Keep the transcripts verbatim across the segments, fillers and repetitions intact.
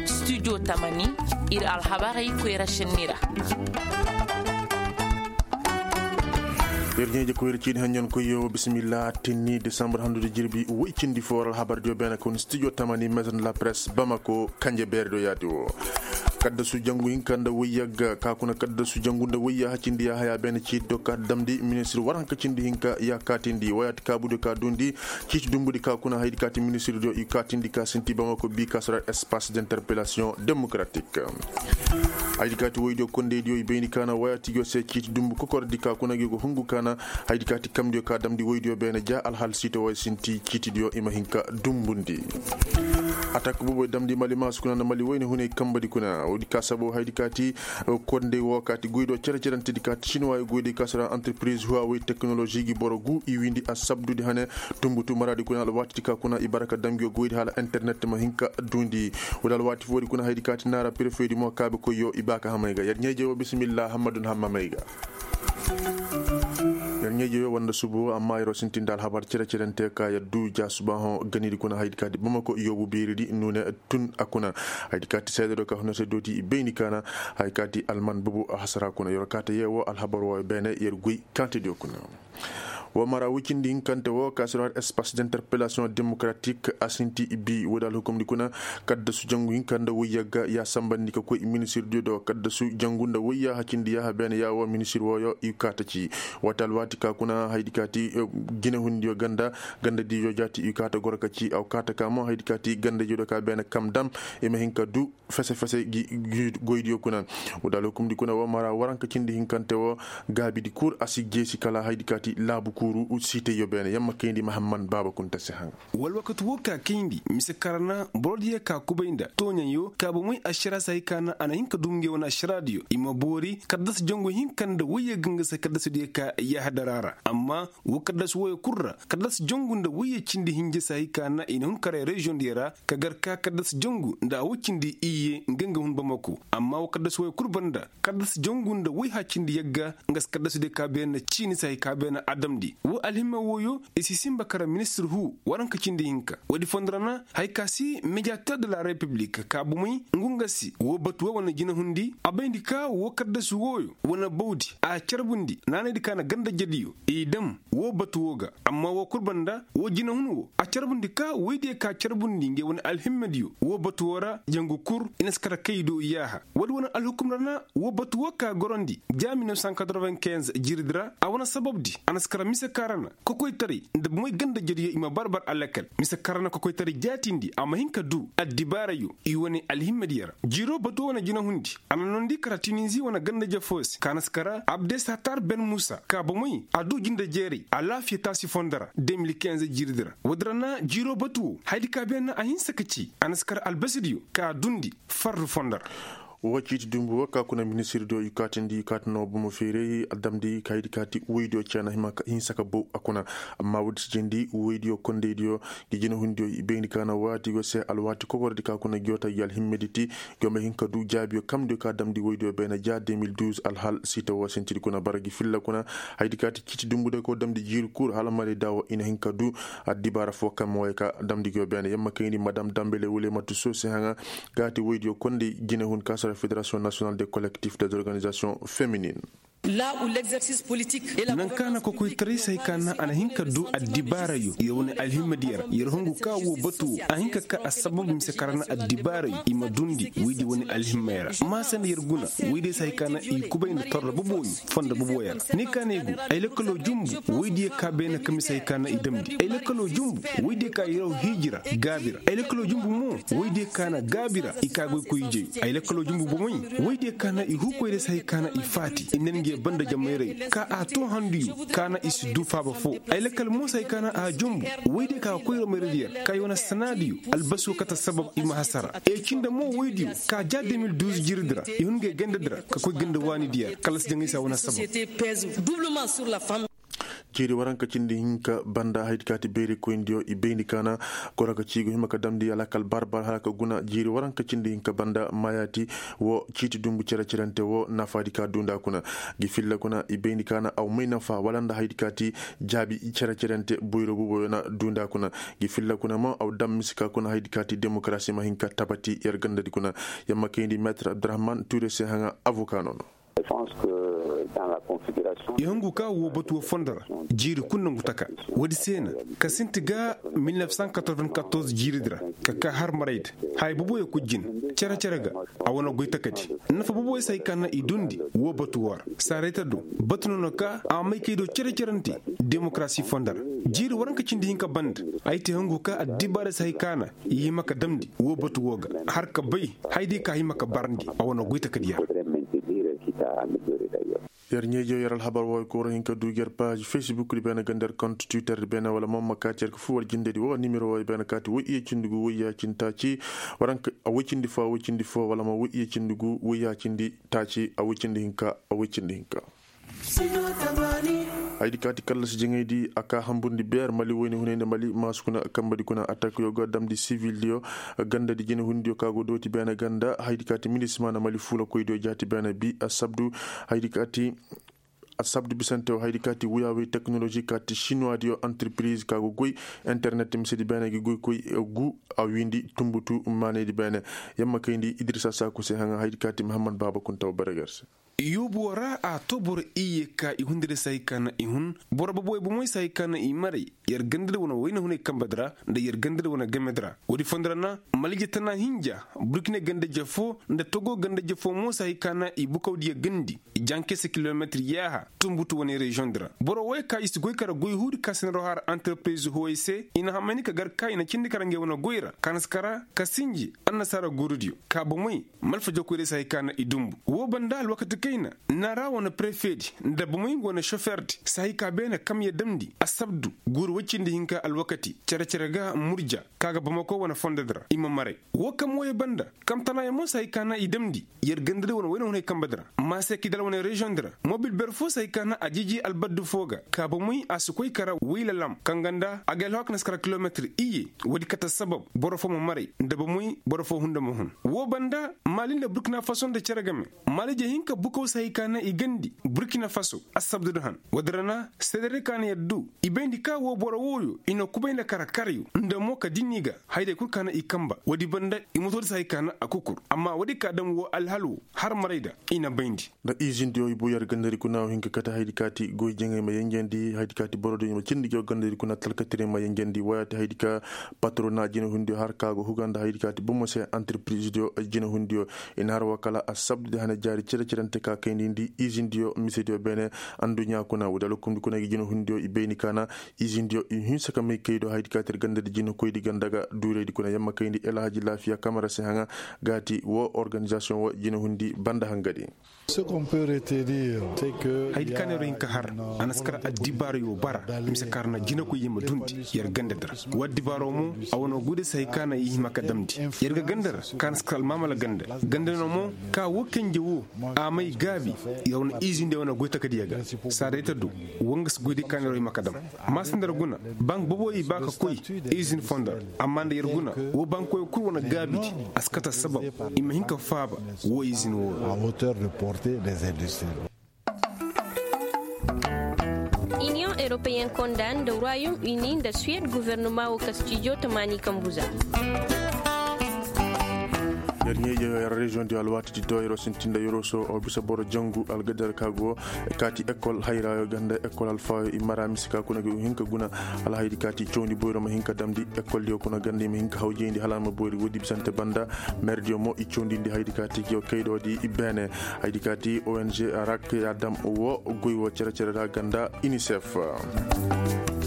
Studio tamani, ir alhabarey koyra šenni ra. Yer ɲeeje ko yer ciini haɲɲan koyyo bisimilla tinni desambar handu da jirbi woy cindi fo war alhabar diyo beene kun studio tamani maison de la presse bamako kanje beere do yaati wo. Kaddasu jangu hinka nda woyyagga ka kuna kaddasu jangu nda woyya hacindi ya haya beene ciiti do ka damndi ministir war hanka cindi hinka ya kaatindi woyaati kaabu do ka duundi. Ciiti dumbudi ka kuna haydi kaati ministir do i kaatindi ka sinti bamako bi ka sara espace d'interpellation démocratique. Haydi kaati woydiyo kondeydiyo i bayndi kaana woyaati yo se ciiti dumbu kokordi ka kuna gi go hungu kaana. Haydi kaati kamdiyo ka damndi woydiyo beene ja alhal siito woy sinti ciitidiyo i ma hin ka dumbundi. Atak buboy damndi mali maasu kuna nda mali woyne hunay kambadi kuna woodi ka sabo haydi kaati kondey wo kaati goydo cere-cerentedi kaati sinuwaayo goydi ka sara entreprise huawey teknolozi gi boro gu i wiindi a sabdudi hane. Tumbutu maraadi kuna alwaatidi ka kuna i bara ka dam ngiyo goydi hala internet ma hin ka duundi. Woodi alwaati foodi kuna haydi kaati naara prefeedi mo kaabe koyyo i ba ka hamay ga yer ɲeeje wo bisimilla hammadun hammamay ga. Yer ɲeeje wo wanda subu amma yeroo sintinda alhabar cere-cerente ka yer duu ja subaahoŋ ganidi kuna haydi kaati bamako yoobu beeridi nuune tun a kuna. Haydi kaati seededo ka hunase dooti i bayndi kaana. Hay kaati alman bubu a hasara kuna yeroo kaata yee wo alhabar wooyo beene yer goy kaantediyo kuna. Wo mara wicindi hinkante wo ka sir har espace d'interpellation démocratique a sinti bi woodi alhukumdi kuna. Kaddasu jangu hinka nda woyya ga ya sambandi ka koy ministir diyo do kaddasu jangu nda woyya hacindi yaha beene ya wo ministir wooyo i kaata ci. Waati alwaati ka kuna haydi kaati jinehundiyo ganda ganda diyo jaati i kaata goro ka ci aw kaata ka mo haydi kaati ganda jiyo do ka beene kam dam i ma hin ka du fese-fese gi goydiyo kuna. Wala hukumdi kuna wo mara waranka cindi hinkante wo gaabidi kul a si jeesi kala haydi kaati laabu kuuru siitayyo beene yamma kayndi mahamman baaba kunta si haŋ. Wala wakati wo ka kayndi mise karana borodiyo ka kubay nda tooɲaŋyo ka bomey ašara si hay ka na a na hin ka dum nge wane ašaradiyo i ma boori kaddas jangu hinka nda woyye ga nga se kaddasadiyo ka yahadara ra amma wo kaddas woyo kul ra kaddas jangu nda woyye cindi hinja si hay ka na i na hun karay reziyoŋ diyo ra ka gar ka kaddas jangu nda a woy cindi iyye nga nga hun bamako amma wo kaddas woyo kul banda kaddas jangu nda woy hacindi yagga nga si kaddas de ka beena ciini si hay ka beena adamdi wo alhimma woyo i si sinba kara ministir hu waranka cindi hinka woodi fondo ra na hay ka si mediater de la republik ka bomey ngu nga si wo batu wo wane jinahundi a bayndi ka wo kaddasu woyo wane bawdi a carbundi naanaydi ka na ganda jediyo i dam wo batu wo ga amma wo kul banda wo jinahun wo a carbundi ka woydiyo ka carbundi nge wane alhimmadiyo wo batu wo ra jangu kul i na si kara kay do yaaha woodi wane alhukum ra na wo batu wo ka gorondi ja mil neuf cent quatre-vingt-quinze jiridi ra a wane sababdi a na si kara mise ka ra na kokoytaray nda bomey ganda jediyo i ma bar-bar alakal mise ka ra na kokoytaray jaatindi a ma hin ka du addibaarayo i wane alhimmadiyo ra jiiro batu wo wane jinahundi a na noondi kara tininzi wane ganda-je foo se ka na si kara abdesatar ben muusa ka bomey a du jinde jeeray alaafiya taasi fondo ra deux mille quinze jiridi ra woodi ra na jiiro batu wo hayadi ka beene a hinsa ka ci a na si kara albasidiyo ka duundi fardu fondo ra. Wo ciiti dumbu wo ka kuna ministirdiyo i kaatindi i kaati no bomo feeray a damndi kaydi kaati woydiyo ceena hima ka hinsa ka bow a kuna. Amma woodi si jindi woydiyo kondaydiyo ngi jinahundiyo i bayndi ka na waati go se alwaati kogordi ka kuna ngiyo ta ngi alhimmedi ti ngiyo ma hin ka du jaabiyo kamdiyo ka damndi woydiyo beene ja deux mille douze alhal siita wo sintidi kuna bara ngi filla kuna. Haydi kaati ciiti dumbu de ka wo damndi jiiri kul hala maray da wo i na hin ka du addibaara foo kaŋ ma way ka damndi ngiyo beene yamma kayndi madam dambele wule matu soo se haŋa. Gaati woydiyo konday jinehun ka sara fédération nationale des collectifs des organisations féminines. Nanka na kokoytaray se hay ka na a na hin ka du addibaarayo yer wane alhimmadiyo ra yer hungu ka wo batu wo a hin ka ka assabab mise kara na addibaarayo i ma dundi woydiyo wane alhimmay ra maasa nda yer guna woydiyo se hay ka na i kubay nda torro boboyo fondo boboyo ra ni ka na ay go ay lakkalo jumbu woydiyo ka beene ka mise hay ka na i damndi ay lakkalo jumbu woydiyo ka yaraw hiiji ra gaabi ra ay lakkalo jumbu mo woydiyo ka na gaabi ra i ka goy koy ijeyo ay lakkalo jumbu bomey woydiyo ka na i huu koyra se hay ka na i faati i na nge banda jamayray ka a too handuyo ka na i si du faaba foo ay lakkal mo se hay ka na a jumbu woydiyo ka ga koyra mayradiyo ra ka i wane sanaadiyo albasoo kate sabab i ma hasara e cinde mo woydiyo ka ja deux mille douze jiridi ra i hun nge gandadi ra ka koy ganda waanidiyo ra kala si jaŋay se a wane sabab. Ciiri waranka cindi hinka banda haydi kaati beeri koyndi yo i bayndi kaana. Goro ka ciigu hima ka damndi alakal barbar hala ka guna jiiri waranka cindi hinka banda maayaati. Wo ciiti dumbu cere-cerante wo nafaadi ka duunda kuna. Gi filla kuna i bayndi kaana aw may nafa wala nda haydi kaati jaabi cere-cerante boyro bubo yo na duunda kuna. Gi filla kuna mo aw dam mise ka kuna haydi kaati demokarasi ma hin ka tabati yer gandadi kuna. Yamma kayndi meetar abdurahman tuure se haŋa avoka no no. I hungu ka woo batu woo fondo ra jiiri kul nongu taka. Woodi se na ka sinti ga mil nef san katorven katorze jiiridi ra ka kaa har marayda. Haya boboyo kul jin cere-cere ga a wane goy takadi. Nafa boboyo se hay ka na i dundi woo batu woo ra. Saarayta do batu no na ka a may kay do cere-cerante demokarasi fondo ra. Jiiri waranka cindi hinka banda ay te hungu ka addibaarey se hay ka na i hima ka damndi woo batu woo ga har ka bay. Haydi ka hima ka barndi a wane goy takadi yer. Yer ɲeejo yer alhabar wooyo kooro hin ka du yer paaz fesbuk di beene ga nda yer kont twitter di beene wala mo ma kaati yer ka fur war jindedi woo nimero wooyo beene kaati woy iye cindi gu woy yaacindi taaci. Waranka a woy cindi foo a woy cindi foo wala mo woy iye cindi gu woy yaacindi taaci a woy cindi hinka a woy cindi hinka. Haydi kaati kallasi jaŋaydi a kaa hamburndi beer mali woyne hunay nda mali maasu kuna kambadi kuna atak yo ga damndi sivildiyo. Gandadi jinehundiyo ka go dooti beene ganda haydi kaati minisima nda mali fuulakoydiyo jaati beene bi assabdu. Haydi kaati assabdu bisante wo haydi kaati wuyaawey teknolozi kaati sinuwaadiyo antirpiriz ka go goy internet misedi beene gi goykoy gu a wiindi tumbutu maanaydi beene. Yamma kayndi idirisa saaku se haŋa haydi kaati mahammad baaba kuntaw bereger se. Yoobu woo ra a too boro iyye ka i hun da day se hay ka na i hun. Boro boboy bomoy se hay ka na i maray yer ganda da wane wayna hunay kambadi ra nda yer ganda da wane gamedi ra woodi fondo ra na malije tana hinja burkine ganda jefo nda togo ganda jefo mo se hay ka na i bukawdiyo gandi. Jankese kilometir yaaha tumbutu wane reziyoŋ di ra boro woy ka i si goy kara goy huudi ka sinaro har antirpiriz hooyey se i na hamayni ka gar ka i na cindi kara ngey wane goy ra ka na si kara ka sinji annasaara guurudiyo ka bomey. Malfajokoydiyo se hay ka na i dumbu woo banda alwakati kayna naara wane prefeedi nda bomey nga wane sofeerdi se hay ka beene kamya damndi assabdu guuru woy cindi hinka alwakati cere-cere ga murja ka ga bamako wane fondodi ra i ma maray. Woo kam wooyo banda kam tanaayo mo se hay ka na i damndi yer gandadi wane wayna hunay kambadi ra maase kidal wane reziyoŋ di ra mobil ber foo se hay ka na a jiiji albaddu foo ga ka bomey a si koy kara wayla lam kaŋ ganda a ga alhawaka na si kara kilometir iyye. Woodi kate sabab boro foo ma maray nda bomey boro foo hunda ma hun. Woo banda maali nda burkina faso nda cere game maalije hinka bukaw se hay ka na i gandi burkina faso assabdu da han woodi ra na seedaray ka na yer du i bayndi ka woo boro wooyo i na kubay nda kara karyo nda mo ka dinni ga hayday kul ka na i kamba woodi banda i motoodi se hay ka na a kukur amma woodi ka dam woo alhal woo har maray da i na bayndi. Nda izindiyo i bu yer gandadi kuna wo hin ka kate haydi kaati goy jaŋay ma yenjandi haydi kaati borodiyo ma cindi goy gandadi kuna talkatire ma yenjandi wayaati haydi ka patrona jinehundiyo har ka go huga nda haydi kaati bomo se antirpirizidiyo jinehundiyo. I na har wa kala assabdu di hane jaari cere-cerante ka kayndi ndi izindiyo misediyo beene. Anduɲɲa kuna woodi alhukumdi kuna gi jinehundiyo i bayni ka na izindiyo i hinsa ka may kay do haydi kaati ir gandadi jinekoydi ganda ga duuraydi kuna yamma kayndi elhaji laafiya kamara se haŋa gaati woo organizasiyoŋ woo jinehundi banda hangadi. Haydi ka neero hin ka har a na si kar addibaarayo bara. Mise kar na jinekoy ye ma dundi yer gandadi ra woo addibaaro mo a wane guude se hay ka na i hima ka damndi yer ga ganda ra ka na si kar almaamala ganda ganda no mo ka woo kenje woo a may gaabi yer wane izindiyo wane goy takadiyo ga. Saadayta do woo nga si goydiyo ka neero hima ka dam maasa nda yer guna bank boboyo i ba ka koy izin fondo ra amma nda yer guna woo bankoyo kul wane gaabidi a si kate sabab i ma hin ka faaba woo izin woo ra. Iniyoŋ europeyen konda nda royaume uni nda suwed guvernoma woo kastijo tamaani kambu za. Yer ɲeeje yer reziyoŋ di alwaati di do yeroo sintin nda yeroo so bisa boro jangu algadar ka go kaati ekol hayrayo ganda ekol alfaayo i mara mise ka kuna ga hin ka guna alhaydi kaati cawndi boyro ma hin ka damndi. Ekol diyo kuna ganda i ma hin ka hawjayndi hala a ma boyri woodi bisante banda. Merdiyo mo i cawndindi haydi kaati giyo kaydoodi beene haydi kaati ong rak ya dam woo goy woo cere-cere ra ganda unicef.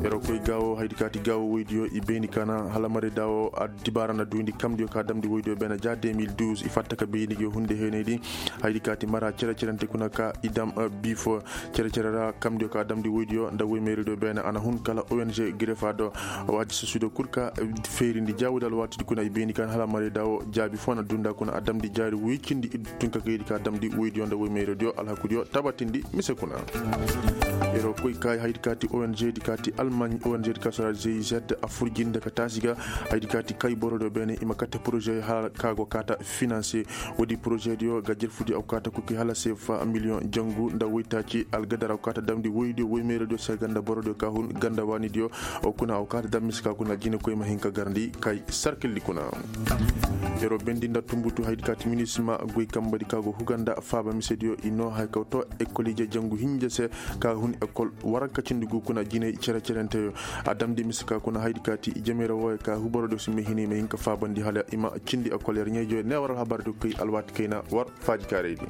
Yer wo koy gaawo haydi kaati gaawo woydiyo i beeni ka na hala marayda wo addibaara na duwindi kamdiyo ka damndi woydiyo beene ja deux mille douze i fatta ka beeni ga hunde heenaydi. Haydi kaati mara cere-cerente kuna ka i dam biifo cere-cere ra kamdiyo ka damndi woydiyo nda woymeeraydiyo beene a na hun kala ong grefa do. Waati sosiyo kul ka feerindi ja woydi alwaatidi kuna i beeni ka na hala marayda wo jaabi foo na dunda kuna a damndi jaari woy cindi iddu tun ka gaydi ka damndi woydiyo nda woymeeraydiyo alhakudiyo tabatindi mise kuna. Yer wo koy ka haydi kaati ong di kaati almaŋ ong di ka sora gz a fur jinde ka taasi ga. Haydi kaati kay borodiyo beene i ma kate poroze hala ka go kaata finanse. Woodi poroze diyo ga jerfudi a go kaata kuki hala seefa miliyoŋ jangu nda woytaaci algadar a go kaata damndi woydiyo woymeeraydiyo se ganda borodiyo ka hun ganda waanidiyo. Kuna a go kaata dam mise ka kuna jine koy ma hin ka garandi kay sarkildi kuna. Yer wo bendi nda tumbutu haydi kaati minisima goy kambadi ka go huga nda faaba misediyo i noo haya ka to ekol ije jangu hinja se ka hun ekol waranka cindi gu kuna jinay cere-cerenteyo. A damndi mise ka kuna haydi kaati jemeyra wooyo ka huborodiyo si ma hini ma hin ka faabandi hala i ma cindi ekol yer ɲeejoyo ne war alhabardiyo koy alwaati kayna war faaji kaaraydi.